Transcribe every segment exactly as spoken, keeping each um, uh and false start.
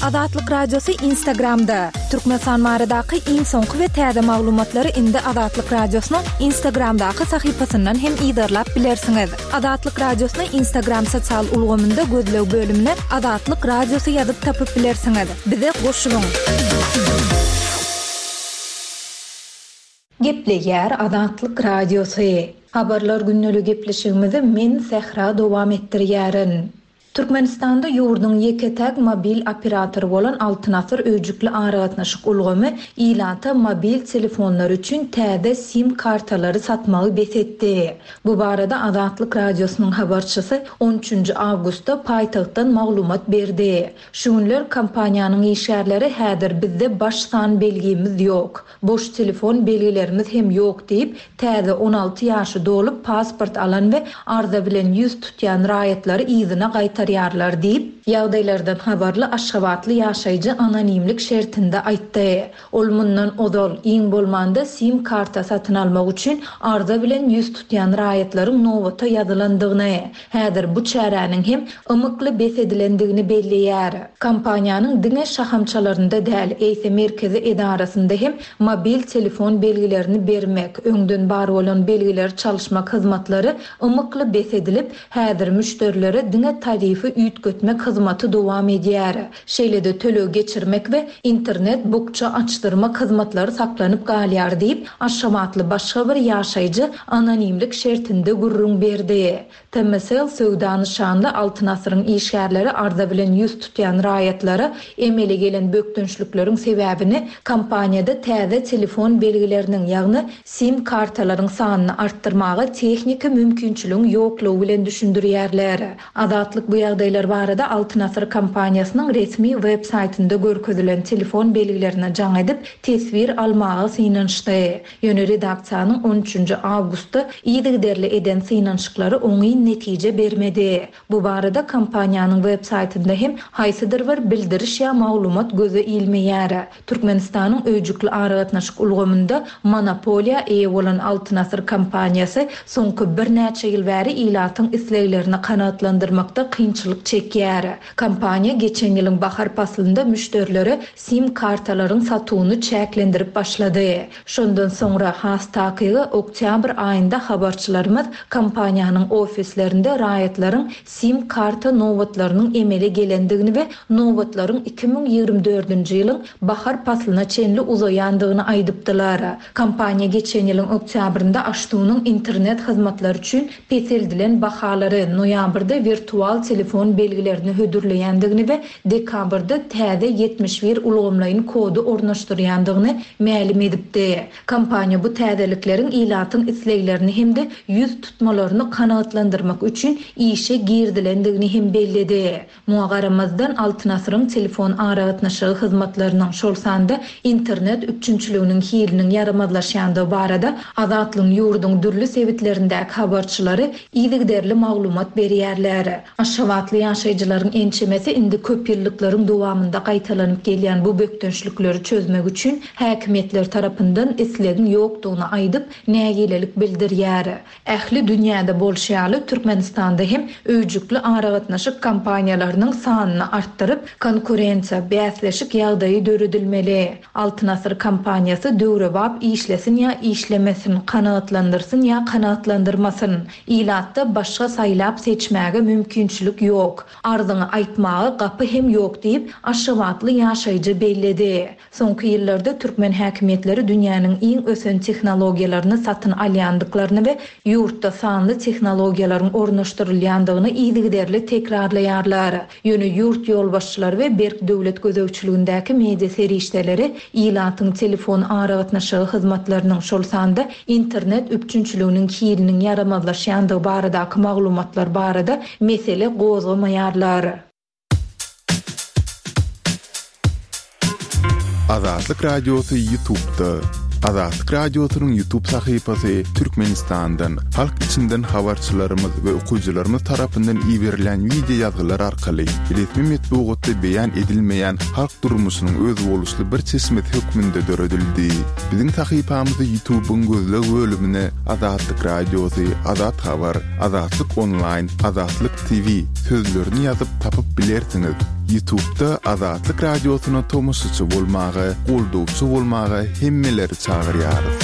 Azatlyk Radiosy Instagramda. Türkmenistan baradaky iň soňky we täze maglumatlary indi Azatlyk Radiosynyň Instagramdaky sahypasyndan hem yzarlap bilersiňiz. Azatlyk Radiosyny Instagram sosial ulgamynda gözleg bölümine Azatlyk Radiosy ýazyp tapyp bilersiňiz. Bize goşulyň. Gepleýär Azatlyk Radiosy. Habarlar gündeligi gepleşigimizi men Sähra dowam etdirýärin. Türkmenistanda ýurduň ýeke-täk mobil operatory bolan Altyn Asyr öýjükli aragatnaşyk ulgamy ilata mobil telefonlar üçin täze sim kartalary satmagy bes etdi. Bu barada Azatlyk Radiosynyň habarçysy on üçünji awgustda paýtagtdan maglumat berdi. Şu günler kompaniýanyň işgärleri häzir bizde baş san belgimiz ýok, boş telefon belgilerimiz hem ýok diýip, täze on alty ýaşy dolup pasport alan we arza bilen ýüz tutýan raýatlary yzyna gaýtarýarlar diýip, ýagdaýlardan habarly Aşgabatly ýaşaýjy anonimlik şertinde aýtdy. Ol mundan ozal iň bolmanda sim karta satyn almak üçin arza bilen ýüz tutýan raýatlaryň nobata ýazylandygyny, häzir bu çäräniň hem ymykly bes edilendigini belleýär. Kompaniýanyň diňe şahamçalarynda däl, eýse merkezi edarasynda hem mobil telefon belgilerini bermek, öňden bar bolan belgileri çalyşmak hyzmatlary ymykly bes edilip, häzir müşderilere diňe tarifi üýtgetmek hyzmaty dowam edýär. Şeýle-de töleg geçirmek we internet bukça açdyrmak hyzmatlary saklanyp galýar diýip, Aşgabatly başga bir ýaşaýjy anonimlik şertinde gürrüň berdi. T M S L söwda nyşanly Altyn Asyryň işgärleri arza bilen ýüz tutýan raýatlara emele gelen bökdençlikleriň sebäbini kompaniýada täze telefon belgileriniň, ýagny sim kartalaryň sanyny artdyrmaga tehniki mümkinçiligiň ýoklugy bilen düşündirýärler. Azatlyk bu ýagdaýlar barada Altyn Asyr kompaniýasynyň resmi web saýtynda görkezilen telefon belgilerine jaň edip teswir almaga synanyşdy. Ýöne redaksiýanyň on üçünji awgustda yzygiderli eden synanyşyklary oňyn netije bermedi. Bu barada kompaniýanyň web saýtynda hem haýsydyr bir bildiriş ýa maglumat göze ilmeýär. Türkmenistanyň öýjükli aragatnaşyk ulgamynda monopoliýa eýe bolan Altyn Asyr kompaniýasy soňky birnäçe ýyl bäri ilatyň isleglerini kanagatlandyrmakda kynçylyk çekýär. Kompaniýa geçen ýylyň bahar paslynda müşderilere sim kartalaryň satuwyny çäklendirip başlady. Şondan soňra has takygy oktýabr aýynda habarçylarymyz kompaniýanyň ofislerinde raýatlaryň sim karta nobatlarynyň emele gelendigini we nobatlaryň iki müň ýigrimi dördünji ýylyň bahar paslyna çenli uzaýandygyny aýdypdylar. Kompaniýa geçen ýylyň oktýabrynda Aştunyň internet hyzmatlary üçin peseldilen bahalary, noýabrda wirtual telefon belgilerini hödürleýändigini we dekabrda täze ýetmiş bir ulgamlaýyn kody ornaşdyrýandygyny mälim edipdi. Kompaniýa bu täzelikleriň ilatyň isleglerini hem-de ýüz tutmalaryny kanagatlandyrmak üçin işe girdilendigini hem belledi. Muňa garamazdan Altyn Asyryň telefon aragatnaşygy hyzmatlarynyň, şol sanda internet üpjünçiliginiň hiliniň ýaramazlaşýandygy barada Azatlygyň ýurduň dürli sebitlerindäki habarçylary yzygiderli maglumat berýärler. Aşgabatly ýaşaýjylaryň ençemesi indi köp ýyllyklaryň dowamynda gaýtalanyp gelýän bu bökdençlikleri çözmek üçin häkimiýetler tarapyndan islegiň ýokdugyny aýdyp, nägilelik bildirýär. Ähli dünýäde bolşy ýaly Türkmenistanda hem öýjükli aragatnaşyk kompaniýalarynyň sanyny artdyryp, konkurensiýa, bäsleşik ýagdaýy döredilmeli. Altyn Asyr kompaniýasy döwrebap işlesin ýa işlemesin, kanagatlandyrsyn ýa kanagatlandyrmasyn. Ilatda başga saýlap seçmäge mümkinçilik ýok. Arzyňy aýtmaga gapy hem ýok diýip, Aşgabatly ýaşaýjy belledi. Soňky ýyllarda türkmen häkimiýetleri dünýäniň iň ösen tehnologiýalaryny satyn alýandyklaryny we ýurtda sanly tehnologiýalaryň ornaşdyrylýandygyny yzygiderli tekrarlaýarlar. Ýöne ýurt ýolbaşçylary we berk döwlet gözegçiligindäki media serişdeleri ilatyň telefon aragatnaşygy hyzmatlarynyň, şol sanda internet üpjünçiliginiň hiliniň ýaramazlaşýandygy baradaky maglumatlar barada mesele gozgamaýarlar. Azatlyk Radiosy YouTube-da. Azatlyk Radiosynyň YouTube sahypasy Türkmenistandan halk içinde içinden habarçylarymyz we okyjylarymyz tarapyndan iberilýän wideo ýazgylar arkaly resmi metbugatda beýan edilmeýän halk durmuşynyň özboluşly bir çeşmesi hökmünde döredildi. Biziň sahypamyzy YouTube-yň gözleg bölümine Azatlyk Radiosy, Azat Habar, Azatlyk Onlaýn, Azatlyk T V sözlerini ýazyp tapyp bilersiňiz. YouTube-da Azatlyk Radiosyna tomaşaçy bolmaga, goldawçy bolmaga hemmeleri çagyrýarys.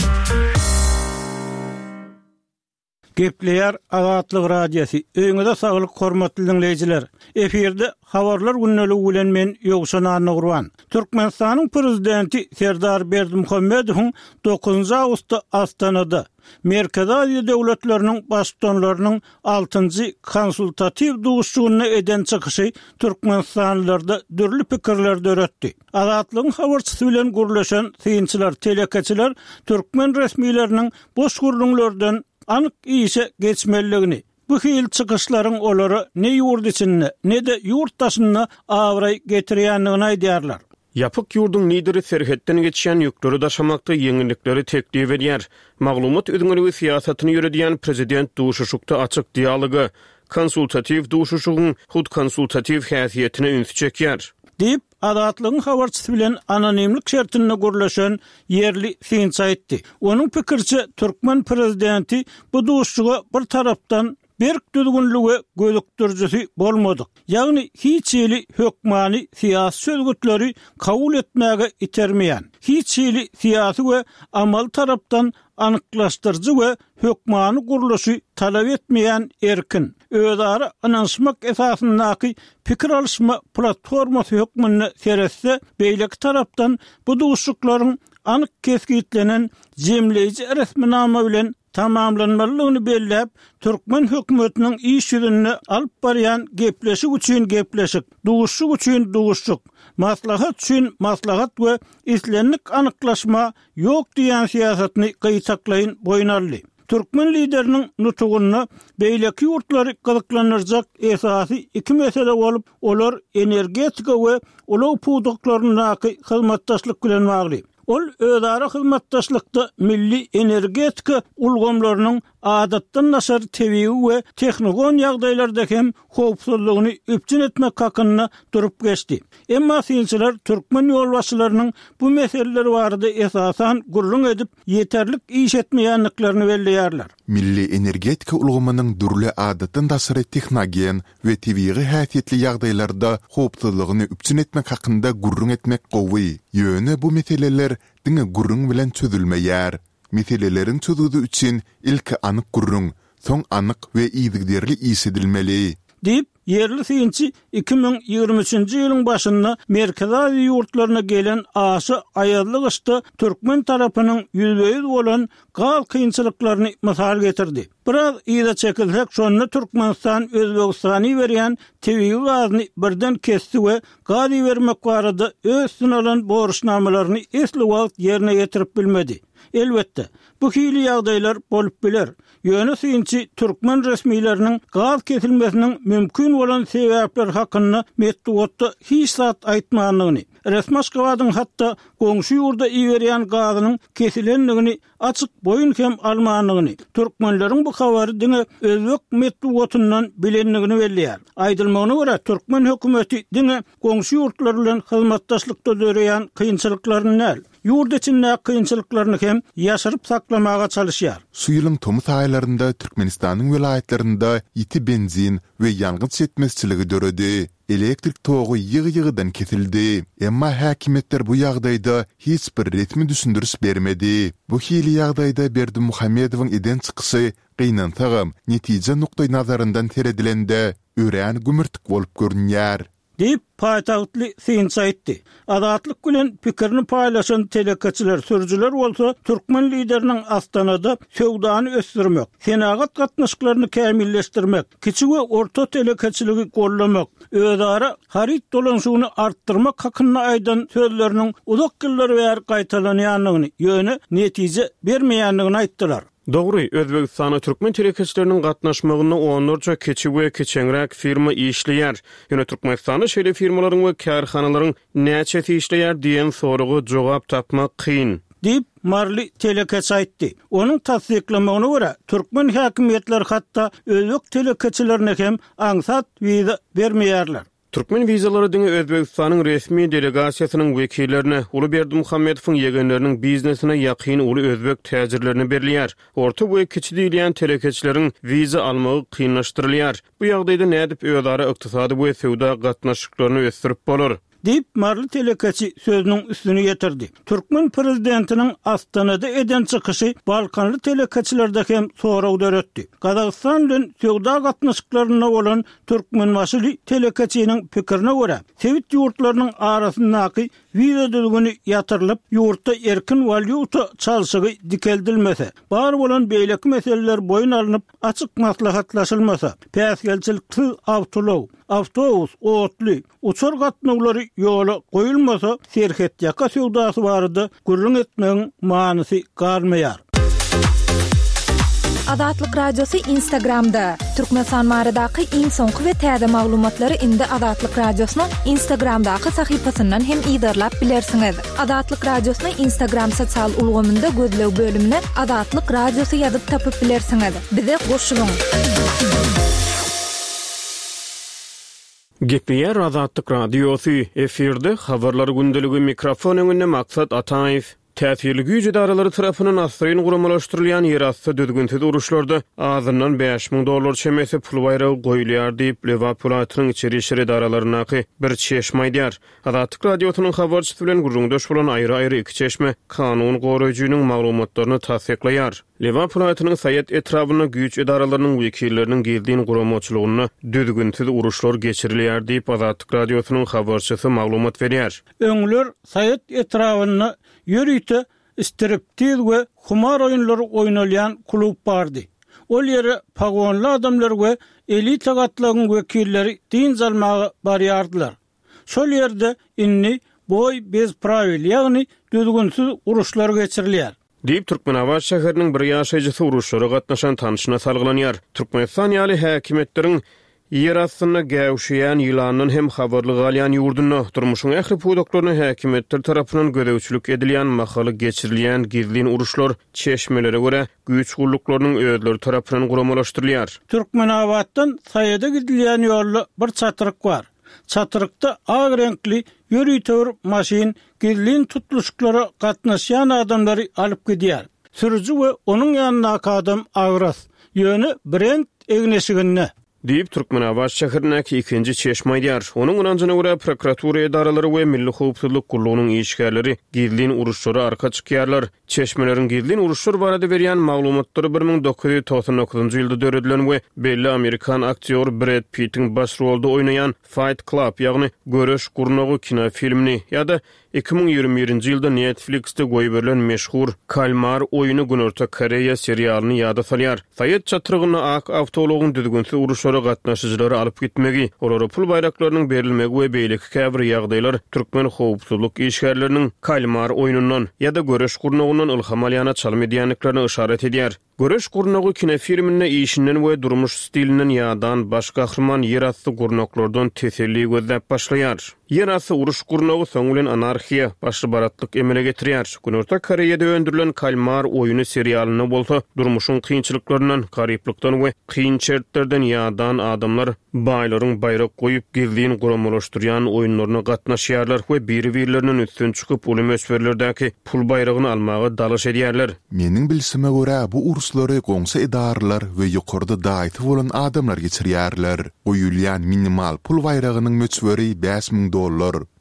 Gepleýär Azatlyk Radiosy. Öýüňize saglyk, hormatly diňleýjiler. Efirde habarlar gündeligi bilen men Ýowşan Annagurban. Türkmenistanyň prezidenti Serdar Berdimuhamedowyň dokuzynjy awgustda Astanada Merkezi Aziýa döwletleriniň baştutanlarynyň altynjy konsultatiw duşuşygynda eden çykyşy türkmenistanlylarda dürli pikirleri döretdi. Azatlygyň habarçysy bilen gürleşen synçylar, telekeçiler türkmen resmileriniň boş gürrüňlerden anyk işe geçmelidigini, bu hili çykyşlaryň olara ne ýurt içinde, ne-de ýurt daşynda abraý getirýändigini aýdýarlar. Ýapyk ýurduň lideri serhetden geçýän ýükleri daşamakda ýeňillikleri teklip edýär. Maglumat üzňeligi syýasatyny ýöredýän prezident duşuşykda açyk dialoga, konsultatiw duşuşygyň hut konsultatiw häsiýetine ünsi çekýär. Diýip, Azatlygyň habarçysy bilen anonimlik şertinde gürleşen ýerli synçy aýtdy. Onuň pikiriçe, türkmen prezidenti bu duşuşyga bir tarapdan berk düzgünli we gözükdirijisi bolmadyk, ýagny hiç hili hökmany syýasy çözgütleri kabul etmäge itermeýän, hiç hili syýasy we amaly tarapdan anyklaşdyryjy we hökmany gurluşy talap etmeýän erkin, özara ynanyşmak esasyndaky pikir alyşma platformasy hökmünde seretse, beýleki tarapdan bu duşuşyklaryň anyk kesgitlenen jemleýji resminama bilen tamamlanmalydygyny belläp, türkmen hökümetiniň iş ýüzünde alyp barýan gepleşik üçin gepleşik, duşuşyk üçin duşuşyk, maslahat üçin maslahat we islendik anyklaşma ýok diýýän syýasatyny gytaklaýyn boýun aldy. Türkmen lideriniň nutugynda beýleki ýurtlary gyzyklandyrjak esasy iki mesele bolup, olar energetika we ulag pudaklaryndaky hyzmatdaşlyk bilen bagly. Ol özara hyzmatdaşlykda milli energetika ulgamlarynyň adatdan daşary tebigy we tehnogen ýagdaýlarda hem howpsuzlygyny üpjün etmek hakynda durup geçdi. Emma synçylar türkmen ýolbaşçylarynyň bu meseleler barada esasan gürrüň edip, ýeterlik iş etmeýändiklerini belleýärler. Milli energetika ulgamynyň dürli adatdan daşary tehnogen we tebigy häsiýetli ýagdaýlarda howpsuzlygyny üpjün etmek hakynda gürrüň etmek gowy. Ýöne bu meseleler diňe gürrüň bilen çözülmeýär. Meseleleriň çözgüdi üçin ilki anyk gürrüň, soň anyk we yzygiderli iş edilmeli. Diýip, ýerli synçy iki müň ýigrimi üçünji ýylyň başynda Merkezi Aziýa ýurtlaryna gelen aşa aýazly gyşda türkmen tarapynyň ýüzbe-ýüz bolan gaz kynçylyklaryny mysal getirdi. Biraz yza çekilsek, şonda Türkmenistan Özbegistana iberýän tebigy gazyny birden kesdi we gaz ibermek barada öz üstüne alan borçnamalaryny esli wagt ýerine ýetirip bilmedi. Elbetde, bu hili ýagdaýlar bolup biler. Ýöne synçy türkmen resmileriniň gaz kesilmesiniň mümkin bolan sebäpleri hakynda metbugatda hiç zat aýtmandygyny, resmi Aşgabadyň hatda goňşy ýurda iberýän gazynyň kesilendigini açyk boýun hem almandygyny, türkmenleriň bu habary diňe özbek metbugatyndan bilendigini belleýär. Aýdylmagyna görä, türkmen hökümeti diňe goňşy ýurtlar bilen hyzmatdaşlykda döreýän kynçylyklaryny däl, ýurt içindäki kynçylyklaryny hem ýaşyryp saklamaga çalyşýar. Şu ýylyň tomus aýlarynda Türkmenistanyň welaýatlarynda ýiti benzin we ýangyç ýetmezçiligi döredi. Elektrik togy ýygy-ýygydan kesildi. Emma häkimiýetler bu ýagdaýda hiç bir resmi düşündiriş bermedi. Bu hili ýagdaýda Berdimuhamedowyň eden çykyşy, gynansagam, netije nukdaýnazaryndan seredilende, örän gümürtik bolup görünýär. Diýip, paýtagtly synçy aýtdy. Azatlyk bilen pikirini paýlaşan telekeçiler, sürüjiler bolsa türkmen lideriniň Astanada söwdany ösdürmek, senagat gatnaşyklaryny kämilleşdirmek, kiçi we orta telekeçiligi goldamak, özara haryt dolanyşygyny artdyrmak hakynda aýdan sözleriniň uzak ýyllar bäri gaýtalanýandygyny, ýöne netije bermeýändigini aýtdylar. Dogry, Özbegistanda türkmen telekeçileriniň gatnaşmagynda onlarça kiçi we kiçeňräk firma işleýär. Ýöne Türkmenistanda şeýle firmalaryň we kärhanalaryň näçesi işleýär diýen soraga jogap tapmak kyn. Diýip, maryly telekeçi aýtdy. Onuň tassyklamagyna görä, türkmen häkimiýetleri hatda özbek telekeçilerine hem aňsat wiza bermeýärler. Türkmen wizalary diňe Özbegistanyň resmi delegasiýasynyň wekillerine, uly Berdimuhamedowyň ýegenleriniň biznesine ýakyn uly özbek täjirlerine berilýär. Orta we kiçi diýilýän telekeçileriň wiza almagy kynlaşdyrylýar. Bu ýagdaýda nädip özara ykdysady we söwda gatnaşyklaryny ösdürip bolar? Diýip, maryly telekeçi sözüniň üstüni ýetirdi. Türkmen prezidentiniň Astanada eden çykyşy balkanly telekeçilerde hem sorag döretdi. Gazagystan bilen söwda gatnaşyklarynda bolan türkmenbaşyly telekeçiniň pikirine görä, sebit ýurtlarynyň arasyndaky wiza düzgüni ýatyrylyp, ýurtda erkin walýuta çalşygy dikeldilmese, bar bolan beýleki meseleler boýun alnyp, açyk maslahatlaşylmasa, päsgelçiliksiz awtoulag, awtobus, otly, uçar gatnawlary ýola goýulmasa, serhetýaka söwdasy barada gürrüň etmegiň manysy galmaýar. Azatlyk Radiosy Instagramda, Türkmenistan baradaky iň soňky we täze maglumatlary indi Azatlyk Radiosynyň Instagramdaky sahypasyndan hem yzarlap bilersiňiz. Azatlyk Radiosyny Instagram sosial ulgamynda gözleg bölümine Azatlyk Radiosy ýazyp tapyp bilersiňiz. Bize goşulyň! Gepleýär Azatlyk Radiosy, efirde Habarlar gündeligi, mikrofon öňünde Maksat Ataýew. Täsirli güýç edaralary tarapyndan assyryn guramalaşdyrylýan ýerasty düzgünsiz uruşlarda azyndan bäş müň dollar çemesi pul baýragy goýulýar diýip, Lebap welaýatynyň içeri işler edaralaryndaky bir çeşme aýdýar. Azatlyk Radiosynyň habarçysy bilen gürrüňdeş bolan aýry-aýry iki çeşme kanun goraýjynyň maglumatlaryny tassyklaýar. Lebap welaýatynyň Saýat etrabynda güýç edaralarynyň wekilleriniň gizlin guramaçylygynda düzgünsiz uruşlar geçirilýär diýip, Azatlyk Radiosynyň habarçysy maglumat berýär. Öňler Saýat etrabynda ýörite striptiz we humar oýunlary oýnalýan klub bardy. Ol ýere pagonly adamlar we elita gatlagyň wekilleri dynç almaga barýardylar. Şol ýerde indi boý bez prawil, ýagny düzgünsiz uruşlar geçirilýär. Diýip, Türkmenabat şäheriniň bir ýaşaýjysy uruşlara gatnaşan tanşyna salgylanýar. Türkmenistan ýaly häkimiýetleriň ýer astynda gäwşeýän ýylandan hem habarly galýan ýurdunda, durmuşyň ähli pudaklaryna häkimiýetler tarapyndan gözegçilik edilýän mahaly geçirilýän gizlin uruşlar, çeşmelere görä, güýç gulluklarynyň özleri tarapyndan guramalaşdyrylýar. Türkmenabatdan Saýada gidilýän ýolda bir çatryk bar. Çatrykda ak reňkli ýörite bir maşyn gizlin tutluşyklara gatnaşýan adamlary alyp gidýär. Sürüji we onuň ýanyndaky adam agras, ýöne brend egin-eşiginde. Diýip, Türkmenabat şäherindäki ikinji çeşme aýdýar. Onuň ynanjyna görä, prokuratura edaralary we Milli howpsuzlyk gullugynyň işgärleri gizlin uruşlara arka çykýarlar. Çeşmeleriň gizlin uruşlar barada berýän maglumatlary bir müň dokuz ýüz togsan dokuzynjy ýylda döredilen we belli amerikan aktýory Bred Pittiň baş rolda oýnaýan Fight Club, ýagny Göreş gurnagy kinofilmini ýa-da iki müň ýigrimi birinji ýylda Netflix-de goýberilen meşhur Kalmar oýny Günorta Koreýa serialyny ýada salýar. Saýat çatrygynda ak awtoulagyň düzgünsiz uruşlara gatnaşyjylary alyp gitmegi, olara pul baýraklarynyň berilmegi we beýleki käbir ýagdaýlar türkmen howpsuzlyk işgärleriniň Kalmar oýnundan ýa-da Göreş gurnagyndan ylham alýana çalym edýändiklerine yşarat edýär. Göreş gurnagy kinofilminde işinden we durmuş stilinden ýadan baş gahryman ýerasty gurnaklardan teselli gözläp başlaýar. Ýerasty uruş gurnagy soň bilen anarhiýa, başly-baratlyk emele getirýär. Günorta Koreýada öndürilen Kalmar oýny serialynda bolsa durmuşyň kynçylyklaryndan, garyplykdan we kyn şertlerden ýadan adamlar baýlaryň baýrak goýup gizlin guramalaşdyrýan oýunlaryna gatnaşýarlar we biri-birlerinden üstün çykyp uly möçberlerdäki pul baýragyny almaga dalaş edýärler. Meniň bilşime görä, bu uruşlary goňşy edaralar we ýokarda daýysy bolan adamlar geçirýärler. Goýulýan minimal pul baýragynyň möçberi bäş müň dollar.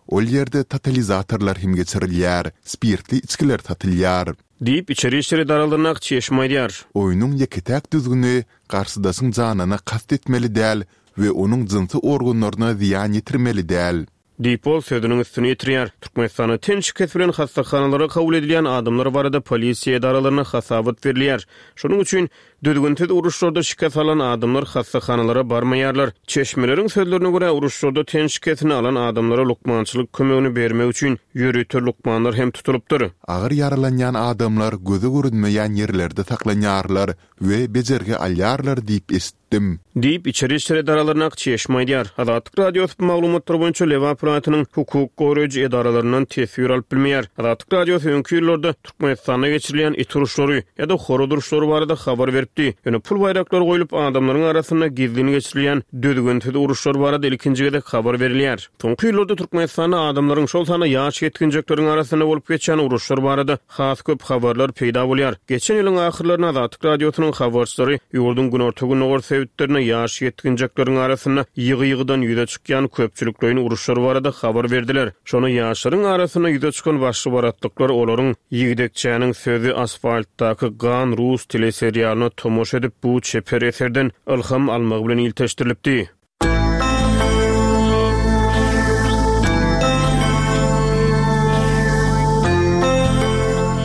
Ol ýerde totalizatorlar hem geçirilýär, spirtli içgiler satylýar. Diýip, içeri işler edaralaryndaky çeşme aýdýar. Oýnuň ýeke-täk düzgüni, garşydaşyň janyna kast etmeli däl we onuň jynsy organlaryna zyýan ýetirmeli däl. Diýip, ol sözüniň üstüni ýetirýär. Türkmenistanda ten şikesi bilen hassahanalara kabul edilýän adamlar barada polisiýa edaralaryna hasabat berilýär. Şonuň üçin düzgünsiz uruşlarda şikes alan adamlar hassahanalara barmaýarlar. Çeşmeleriň sözlerine görä, uruşlarda ten şikesini alan adamlara lukmançylyk kömegini bermek üçin ýörite lukmanlar hem tutulypdyr. Agyr ýaralanýan adamlar göze görünmeýän ýerlerde saklanýarlar we bejergi alýarlar diýip eşitdim. etdim. Diýip, içeri işler edaralaryndaky çeşme aýdýar. Azatlyk Radiosy bu maglumatlar boýunça Lebap welaýatynyň hukuk goraýjy edaralaryndan teswir alyp bilmeýär. Azatlyk Radiosy öňki ýyllarda Türkmenistanda geçirilýän it uruşlary ýa-da horaz uruşlary barada habar beripdi. Ýöne pul baýraklary goýlup, adamlaryň arasynda gizlin geçirilýän düzgünsiz uruşlar barada ilkinji gezek habar berilýär. Soňky ýyllarda Türkmenistanda adamlaryň, şol sanda ýaş ýetginjekleriň arasynda bolup geçýän uruşlar barada has köp habarlar peýda bolýar. Geçen ýylyň ahyrlarynda Azatlyk Radiosynyň habarçylary ýurduň günorta-gündogar sebitlerinde ýaş ýetginjekleriň arasynda ýygy-ýygydan ýüze çykýan köpçülikleýin uruşlar barada habar berdiler. Şonda ýaşlaryň arasynda ýüze çykan başly-baratlyklar olaryň Ýigdekçäniň sözi asfaltdaky gan rus teleserialyna tomaşa edip bu çeper eserden ylham almagy bilen ilteşdirilipdi.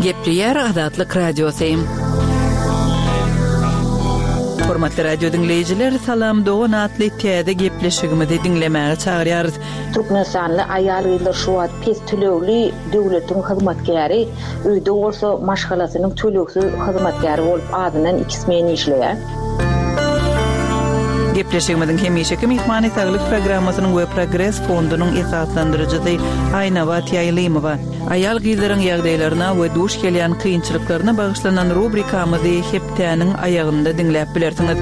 Gepleýär Azatlyk Radiosy. Hormatly radio diňleýjiler, Salam Dogan atly täze gepleşigimizi diňlemäge çagyrýarys. Türkmenistanly aýal-gyzlar şu wagt pes tölegli döwletiň hyzmatkäri, öýde bolsa maşgalasynyň tölegsiz hyzmatkäri bolup azyndan iki smen işleýär. Gepleşigimiziň hemişeki myhmany saglyk programmasynyň we Progres fondunyň esaslandyryjysy Aýnabat Ýaýlymowa. Aýal gyzlaryň ýagdaýlaryna we duş gelýän kynçylyklaryna bagyşlanan rubrikamyzy hepdäniň aýagynda diňläp bilersiňiz.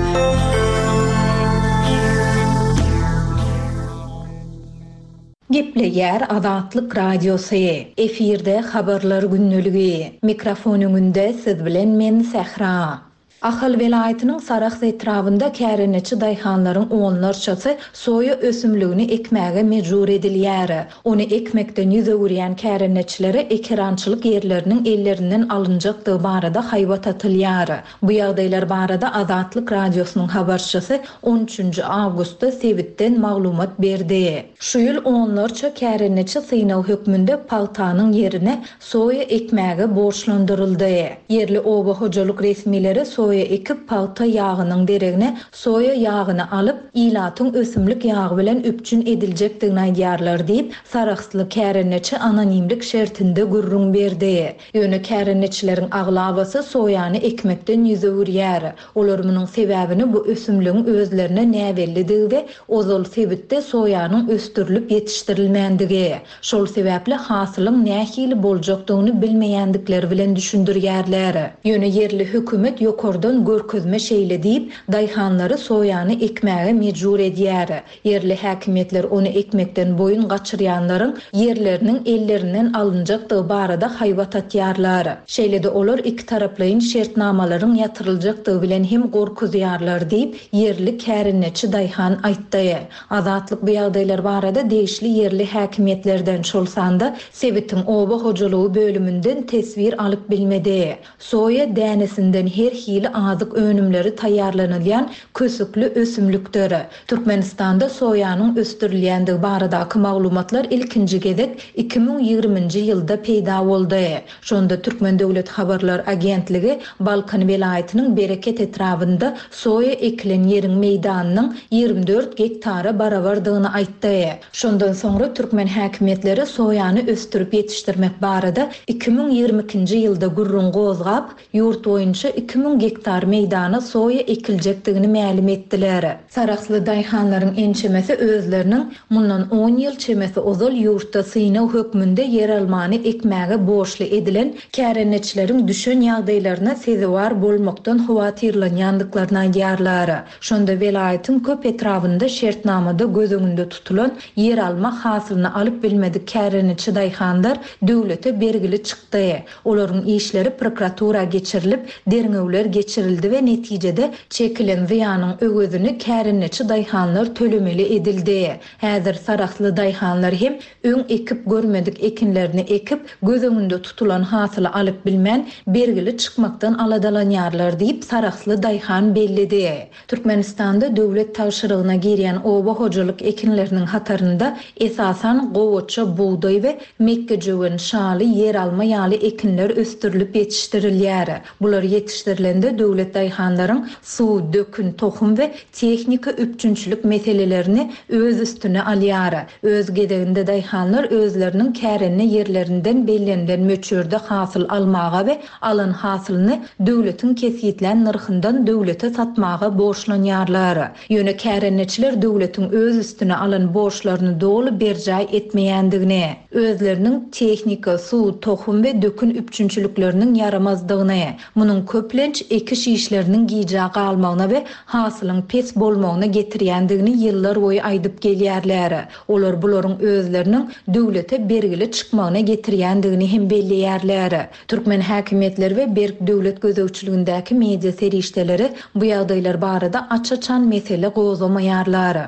Gepleýär Azatlyk Radiosy. Efirde habarlar gündeligi. Mikrofon öňünde siz bilen men Sähra. Ahal welaýatynyň Sarahs etrabynda kärendeçi daýhanlaryň onlarçasy soýa ösümligini ekmäge mejbur edilýär. Ony ekmekden ýüz öwürýän kärendeçilere ekerançylyk ýerleriniň ellerinden alynjakdygy barada haýbat atylýar. Bu ýagdaýlar barada Azatlyk Radiosynyň habarçysy on üçünji awgustda sebitden maglumat berdi. Şu ýyl onlarça kärendeçi synag hökmünde pagtanyň ýerine soýa ekmäge borçlandyryldy. Ýerli oba hojalyk resmileri soýa ekip pagta ýagynyň deregine soýa ýagyny alyp, ilatyň ösümlik ýagy bilen üpjün ediljekdigini aýdýarlar diýip, Sarahsly kärendeçi anonimlik şertinde gürrüň berdi. Ýöne kärendeçileriň aglabasy soýany ekmekden ýüz öwürýär. Olar munuň sebäbini bu ösümligiň özlerine näbellidigi we ozal sebitde soýanyň ösdürilip ýetişdirilmändigi, şol sebäpli hasylyň nähili boljakdygyny bilmeýändikleri bilen düşündirýärler. Ýöne ýerli hökümet ýokardan görkezme şeýle diýip, daýhanlary soýany ekmäge mejbur edýär. Ýerli häkimiýetler ony ekmekden boýun gaçyrýanlaryň ýerleriniň ellerinden alynjakdygy barada haýbat atýarlar. Şeýle-de olar iki taraplaýyn şertnamalaryň ýatyryljakdygy bilen hem gorkuzýarlar diýip, ýerli kärendeçi daýhan aýtdy. Azatlyk bu ýagdaýlar barada degişli ýerli häkimiýetlerden, şol sanda sebitiň oba hojalygy bölüminden teswir alyp bilmedi. Soýa dänesinden her hili azyk önümleri taýýarlanylýan kösükli ösümlikdir. Türkmenistanda soýanyň ösdürilýändigi baradaky maglumatlar ilkinji gezek iki müň ýigriminji ýylda peýda boldy. Şonda Türkmen Döwlet Habarlar Agentligi Balkan welaýatynyň Bereket etrabynda soýa ekilen ýeriň meýdanynyň ýigrimi dört gektara barabardygyny aýtdy. Şondan soňra türkmen häkimiýetleri soýany ösdürip ýetişdirmek barada iki müň ýigrimi ikinji ýylda gürrüň gozgap, ýurt boýunça iki müň gektar meýdana soýa ekiljekdigini mälim etdiler. Sarahsly daýhanlaryň ençemesi özleriniň mundan on ýyl çemesi ozal ýurtda synag hökmünde ýer almany ekmäge borçly edilen kärendeçileriň düşen ýagdaýlaryna sezewar bolmakdan howatyrlanýandyklaryny aýdýarlar. Şonda welaýatyň köp etrabynda şertnamada göz öňünde tutulan ýer alma hasylyny alyp bilmedik kärendeçi daýhanlar döwlete bergili çykdy. Olaryň işleri prokuratura geçirilip, derňewler geçirildi we netijede çekilen zyýanyň öwezini kärendeçi daýhanlar tölemeli edildi. Häzir Sarahsly daýhanlar hem öň ekip görmedik ekinlerini ekip, göz öňünde tutulan hasyly alyp bilmän, bergili çykmakdan aladalanýarlar diýip Sarahsly daýhan belledi. Türkmenistanda döwlet tabşyrygyna girýän oba hojalyk ekinleriniň hatarynda esasan gowaça, bugdaý we mekgejöwen, şaly, ýer alma ýaly ekinler ösdürilip ýetişdirilýär. Bular ýetişdirilende Netijede döwlet daýhanlaryň suw, dökün, tohum we tehnika üpjünçilik meselelerini öz üstüne alýar. Öz gezeginde daýhanlar özleriniň kärende ýerlerinden bellenilen möçberde hasyl almaga we alan hasylyny döwletiň kesgitlän nyrhyndan döwlete satmaga borçlanýarlar. Ýöne kärendeçiler döwletiň öz üstüne alan borçlaryny doly berjaý etmeýändigini, özleriniň tehnika, suw, tohum we dökün üpjünçilikleriniň ýaramazdygyny, munuň köplenç ekiş işleriniň gijä galmagyna we hasylyň pes bolmagyna getirýändigini ýyllar boýy aýdyp gelýärler. Olar bularyň özleriniň döwlete bergili çykmagyna getirýändigini hem belleýärler. Türkmen häkimiýetleri we berk döwlet gözegçiligindäki media serişdeleri bu ýagdaýlar barada aç-açan mesele gozgamaýarlar.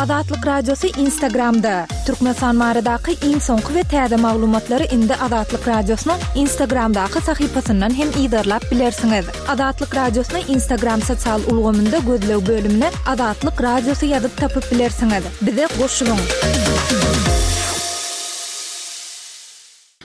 Azatlyk Radiosy Instagramda. Türkmenistan baradaky iň soňky we täze maglumatlary indi Azatlyk Radiosynyň Instagramdaky sahypasyndan hem yzarlap bilersiňiz. Azatlyk Radiosyny Instagram sosial ulgamynda gözleg bölümine Azatlyk Radiosy ýazyp tapyp bilersiňiz. Bize goşulyň.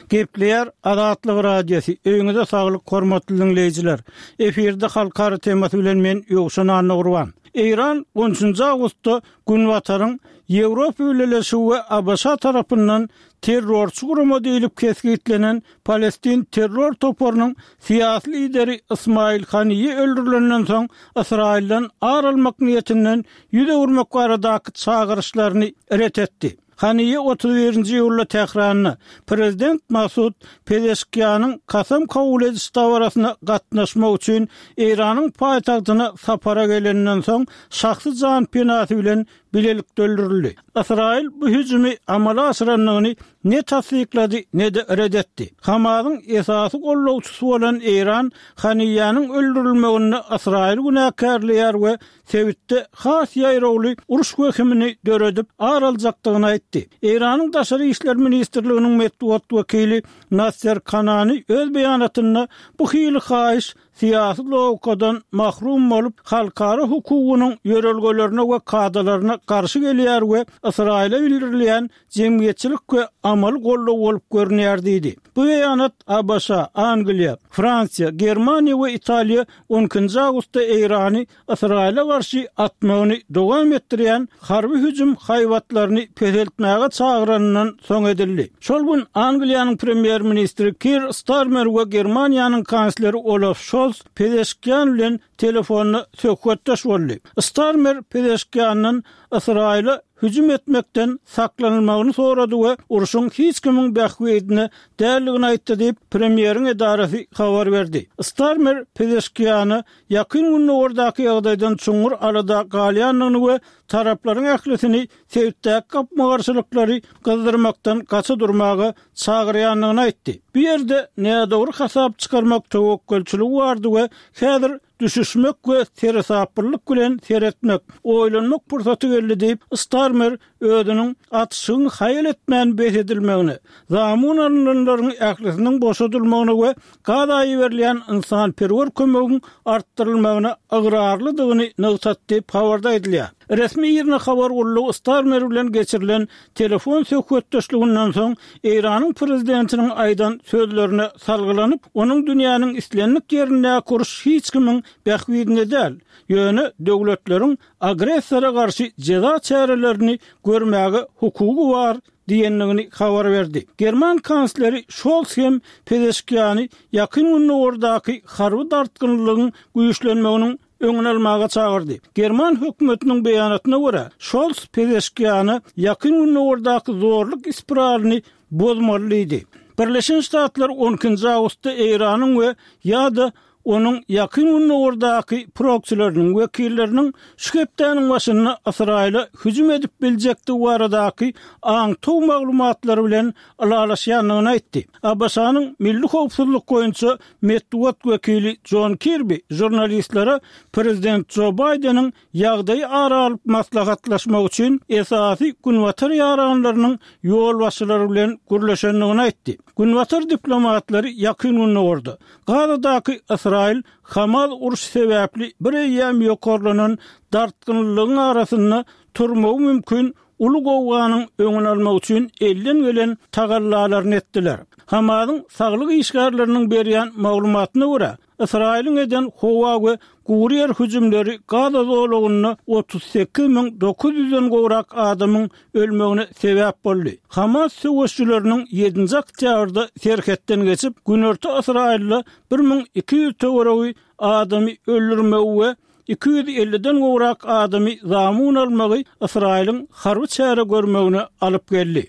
Gepleýär Azatlyk Radiosy. Öýüňize saglyk, hormatly diňleýjiler. Efirde halkara temasy bilen men Ýowşan Annagurban. Eýran on üçünji awgustda Günbataryň Ýewropa Bileleşigi we A B Ş tarapyndan terrorçy gurama diýlip kesgitlenen Palestin terror toparynyň syýasy lideri Ismail Haniýe öldürilenden soň Ysraýyldan ar almak niýetinden ýüz öwürmek baradaky çagyryşlaryny ret etdi. Haniýe otuz birinji iýulda Tähranda prezident Masud Pezeşkianyň kasam kabul ediş dabarasyna gatnaşmak üçin Eýranyň paýtagtyna sapara gelenden soň şahsy jan penasy bilen bilelikde öldürildi. Ysraýyl bu hüjümi amala aşyrandygyny ne tassyklady, ne-de ret etdi. Hamasyň esasy gollawçysy bolan Eýran Haniýanyň öldürilmeginde Ysraýyl günäkärleýär we sebitde has ýaýrawly uruş wehimini döredip ar aljakdygyny aýtdy. Eýranyň Daşary işler ministrliginiň metbugat wekili Nasser Kanani öz beýanatynda bu hili haýyş syýasy logikadan mahrum bolup, halkara hukugynyň ýörelgelerine we kadalaryna garşy gelýär we Ysraýyla bildirilýän jemgyýetçilik we amaly goldaw bolup görünýär diýdi. Bu beýanat A B Ş, Angliýa, Fransiýa, Germaniýa we Italiýa on ikinji awgustda Eýrany Ysraýyla garşy atmagyny dowam etdirýän harby hüjüm haýbatlaryny peseltmäge çagyranyndan soň edildi. Şol gün Angliýanyň premýer-ministri Keir Starmer we Germaniýanyň kansleri Olaf Scholz Pezeşkian bilen telefonda söhbetdeş boldy. Starmer Pezeşkiandan Ysraýyla hüjüm etmekden saklanylmagyny sorady we urşuň hiç kimiň bähbidine däldigini aýtdy diýip, premýeriň edarasy habar berdi. Starmer Pezeşkiana ýakyn Gündogardaky ýagdaýdan çuňňur alada galýandygyny we taraplaryň ählisini sebitdäki gapma-garşylyklary gyzdyrmakdan gaça durmaga çagyrýandygyny aýtdy. Bu ýerde nädogry hasap çykarmak töwekgelçiligi bardy we häzir düşüşmek we seresaplylyk bilen seretmek, oýlanmak pursaty geldi diýip, Starmer özüniň atyşygyň haýal etmän bes edilmegine, zamun alynanlaryň ählisiniň boşadylmagyna we Gaza iberilýän ynsanperwer kömegiň artdyrylmagyna ygrarlydygyny nygtatdy diýip, habarda aýdylýar. Resmi IRNA habar gullugy Starmer bilen geçirilen telefon söhbetdeşliginden soň Eýranyň prezidentiniň aýdan sözlerine salgylanyp, onuň dünýäniň islendik ýerindäki uruş hiç kimiň bähbidine däl, ýöne döwletleriň agressora garşy jeza çärelerini görmäge hukugy bar diýendigini habar berdi. German kansleri Scholz hem Pezeşkiany ýakyn Gündogardaky harby dartgynlygyň güýçlenmeginiň öňüni almaga çagyrdy. German hökümetiniň beýanatyna görä, Scholz Pezeşkiana ýakyn Gündogardaky zorluk spiralyny bozmaly diýdi. Birleşen Ştatlar on ikinji awgustda Eýranyň we ýa-da onuň ýakyn Gündogardaky proksileriniň wekilleriniň şu hepdäniň başynda Ysraýyla hüjüm edip biljekdigi baradaky aňtaw maglumatlary bilen ylalaşýandygyny aýtdy. A B Ş-nyň Milli howpsuzlyk boýunça metbugat wekili John Kirby žurnalistlere prezident Joe Baýdeniň ýagdaýy ara alyp maslahatlaşmak üçin esasy Günbatar ýaranlarynyň ýolbaşçylary bilen gürleşendigini aýtdy. Günbatar diplomatlary ýakyn Gündogarda Gazadaky Ysraýyl Hamas uruş sebäpli bir eýýäm ýokarlanan dartgynlygyň arasynda turmagy mümkin uly gowganyň öňüni almak üçin elden gelen tagallalaryny etdiler. Hamasyň saglyk işgärleriniň berýän maglumatyna görä, Ysraýylyň eden howa we gury ýer hüjümleri Gaza zolagynda otuz sekiz müň dokuz ýüzden gowrak adamyň ölmegine sebäp boldy. Hamas söweşijileriniň ýedinji oktýabrda serhetden geçip, günorta Ysraýylda bir müň iki ýüz töweregi adamy öldürmegi we iki ýüz elliden gowrak adamy zamun almagy Ysraýylyň harby çäre görmegine alyp geldi.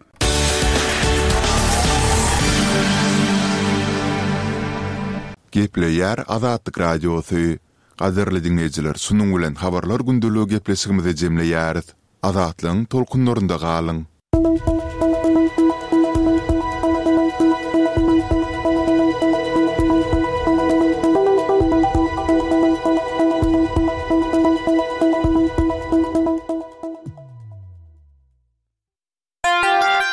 Gepleýär Azatlyk Radiosy. Gadyrly diňleýjiler, şunuň bilen Habarlar gündeligi gepleşigimizi jemleýäris. Azatlygyň tolkunlarynda galyň!